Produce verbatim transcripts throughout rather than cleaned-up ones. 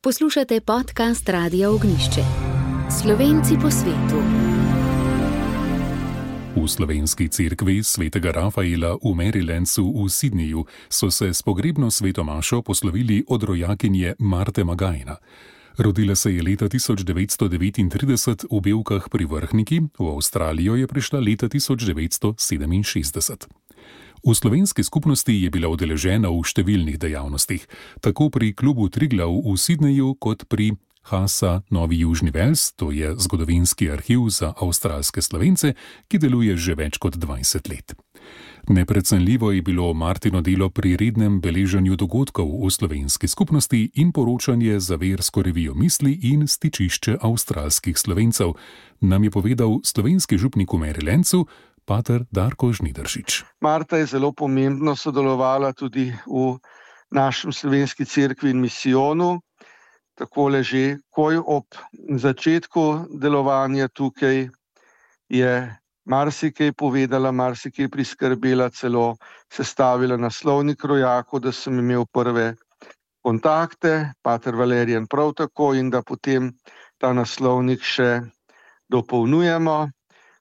Poslušate podcast Radia Ognjišče. Slovenci po svetu. V slovenski cerkvi svetega Rafaela v Marylandu v Sydneyju so se s pogrebno svetomašo poslovili od rojakinje Marte Magajna. Rodila se je leta tisoč devetsto devetintrideset v Belkah pri Vrhniki, v Avstralijo je prišla leta tisoč devetsto sedeminšestdeset. V slovenski skupnosti je bila udeležena v številnih dejavnostih, tako pri klubu Triglav v Sydneyju kot pri Hasa Novi Južni Vels, to je zgodovinski arhiv za avstralske Slovence, ki deluje že več kot dvajset let. Neprecenljivo je bilo Martino delo pri rednem beleženju dogodkov v slovenski skupnosti in poročanje za versko revijo Misli in stičišče avstralskih Slovencev, nam je povedal slovenski župnik v Marylandu, pater Darko Žnidaršič. Marta je zelo pomembno sodelovala tudi v našem slovenski cerkvi in misijonu. Takole že, koj ob začetku delovanja tukaj je marsikaj povedala, marsikaj priskrbela, celo sestavila naslovnik rojakov, da sem imel prve kontakte, pater Valerijan prav tako, in da potem ta naslovnik še dopolnjujemo.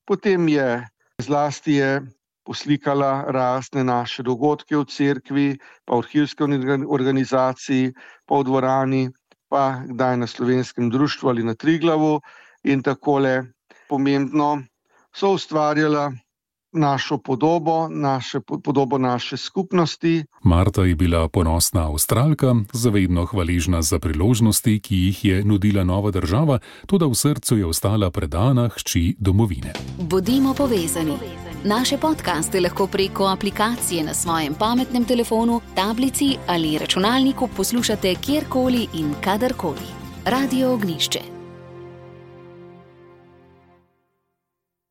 Potem je zlasti je poslikala razne naše dogodke v cerkvi, pa v arhivski organizaciji, pa v dvorani, pa kdaj na slovenskem društvu ali na Triglavu, in takole pomembno so ustvarjala našo podobo, naše, podobo naše skupnosti. Marta je bila ponosna Avstralka, zavedno hvaležna za priložnosti, ki jih je nudila nova država, toda v srcu je ostala predana hči domovine. Bodimo povezani. Naše podcaste lahko preko aplikacije na svojem pametnem telefonu, tablici ali računalniku poslušate kjerkoli in kadarkoli. Radio Ognjišče.